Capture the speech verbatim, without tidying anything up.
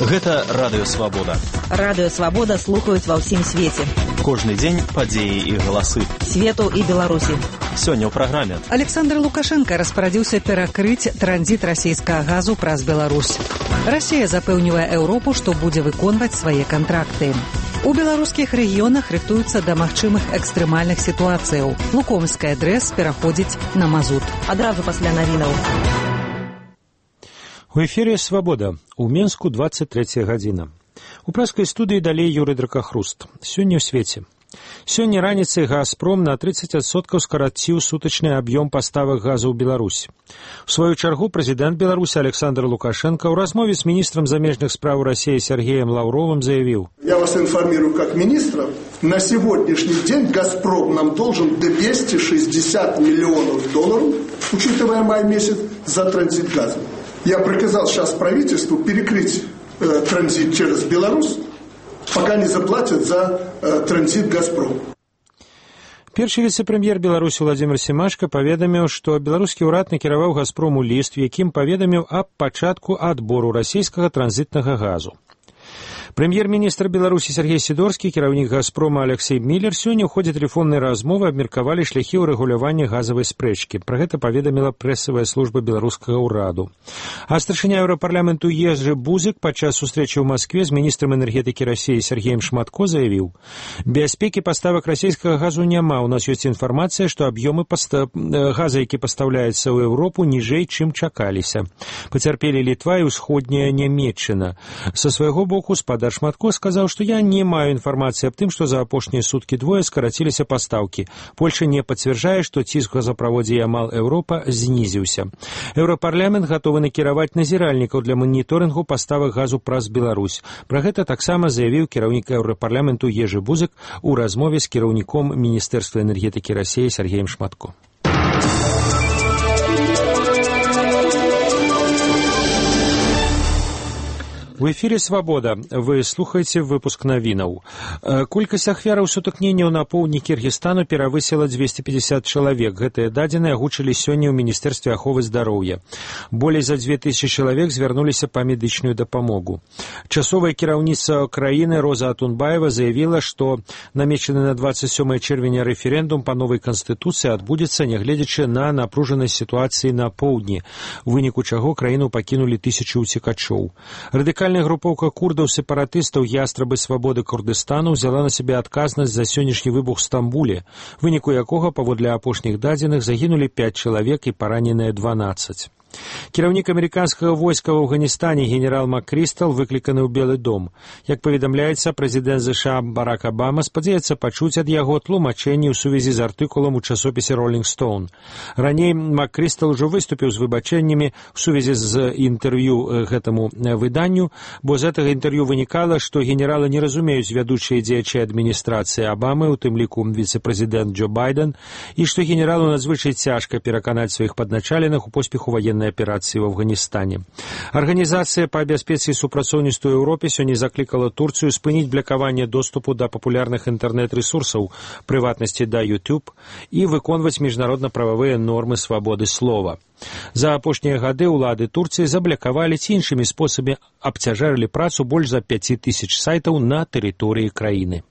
Гэта Радыё Свабода. Радыё Свабода слухаюць ва ўсім свеце. Кожны дзень падзеі і галасы. Свету і Беларусі. Сёння ў праграме. Александр Лукашенко распарадзіўся перакрыць транзіт расійскага газу праз Беларусь. Расія запэўнівае Еўропу, што будзе выконваць свае кантракты. У беларускіх рэгіёнах рыхтуюцца да магчымых экстрэмальных сітуацыяў. Лукомская ДРЭС пераходзіць на мазут. Адразу пасля навінаў. У эфире «Свобода». У Менску двадцать третья гадзіна. У праскай студыі далей Юрый Дракахруст. Сёння ў свеце. Сёння раніцай «Газпром» на тридцать адсоткаў скараціў сутачны аб'ём паставак газу ў Беларусь. У сваю чаргу прэзідэнт Беларусі Александр Лукашенко ў размове з міністрам замежных спраў России Сергеем Лавровым заявил: «Я вас информирую как министра. На сегодняшний день «Газпром» нам должен двести шестьдесят миллионов долларов, учитывая май месяц, за транзит газа. Я приказал сейчас правительству перекрыть э, транзит через Беларусь, пока не заплатят за э, транзит «Газпром». Першы віцэ-прэм'ер Беларусі Владимир Семашко паведаміў, што беларускі ўрад накіраваў «Газпрому» ліст, якім паведаміў аб пачатку адбору расійскага транзітнага газу. Прэм'ер-міністр Беларусі Сергей Сидорскі, кіраўнік «Газпрома» Алексей Миллер сёння ў ходзе тэлефоннай размовы абмеркавалі шляхі ўрэгулявання газавай спрэчкі. Пра гэта паведаміла прэсавая служба беларускага ўраду. А старшыня Еўрапарламенту Ежы Бузык падчас сустрэчы ў Маскве з міністрам энергетыкі Расіі Сергеем Шматко заявіў: «Бяспекі паставак расійскага газу няма. У нас ёсць інфармацыя, што аб'ёмы паста... газа, які пастаўляецца ў Еўропу, ніжэй, чым чакаліся. Пацярпелі Літва і ўсходняя Нямецчына». Са свайго боку спадар Шматко сказаў, што я не маю інфармацыі аб тым, што за апошнія суткі двое скараціліся пастаўкі. Польша не пацвярджае, што ціск у газаправодзе Ямал Еўропа знізіўся. Еўрапарламент гатовы накіраваць назіральнікаў для маніторынгу паставак газу праз Беларусь. Пра гэта таксама заявіў кіраўнік Еўрапарламенту Ежы Бузык у размове з кіраўніком Міністэрства энергетыкі Расіі Сергеем Шматко. В эфире «Свобода». Вы слухаете выпуск навінаў. Колькасць ахвяраў сутыкненняў на поўдні Кіргізстану перавысіла двести пятьдесят чалавек. Гэтыя дадзеныя агучылі сёння ў Міністэрстве аховы здароўя. Болей за две тысячи чалавек звярнуліся па медычную дапамогу. Часовая кіраўніца краіны Роза Атунбаева заявіла, што намечаны на двадцать сёмае чэрвеня рэферэндум па новай канстытуцыі адбудзецца, нягледзячы на напружанасць сітуацыі на поўдні, у выніку чаго краіну пакінулі тысячы ўцекачоў. Радыкальная групоўка курдаў-сепаратыстаў «Ястрабы свабоды Курдыстану» взяла на сябе адказнасць за сённяшні выбух в Стамбуле, в выніку якога, паводле апошніх дадзеных, загінулі пять чалавек і параненыя дванаццаць. Кіраўнік амерыканскага войска в Афганістане генерал МакКрыстал выкліканы ў Белы дом. Як паведамляецца, прэзідэнт ЗША Барак Абама спадзяецца пачуць ад яго тлумачэнні ў сувязі з артыкулам у часопісе «Роллинг Стоун». Раней МакКрыстал ужо выступіў з выбачэннямі ў сувязі з інтэрв'ю гэтаму выданню, бо з гэтага інтэрв'ю вынікала, што генералы не разумеюць вядучыя дзеячы адміністрацыі Абамы, у тым ліку віцэ-прэзідэнт Джо Байден, і што генералу надзвычай цяжка пераканаць сваіх падначаленых у поспеху ваеннай аперацыі в Афганістане. Арганізацыя па бяспецы і супрацоўніцтву Еўропе сёння заклікала Турцыю спыніць блакаванне доступу да папулярных інтэрнэт-рэсурсаў, прыватнасці да YouTube, і выконваць міжнародна-прававыя нормы свабоды слова. За апошнія гады ўлады Турцыі заблакавалі ці іншымі спосабамі абцяжарылі працу больш за пяць тысяч сайтаў на тэрыторыі краіны.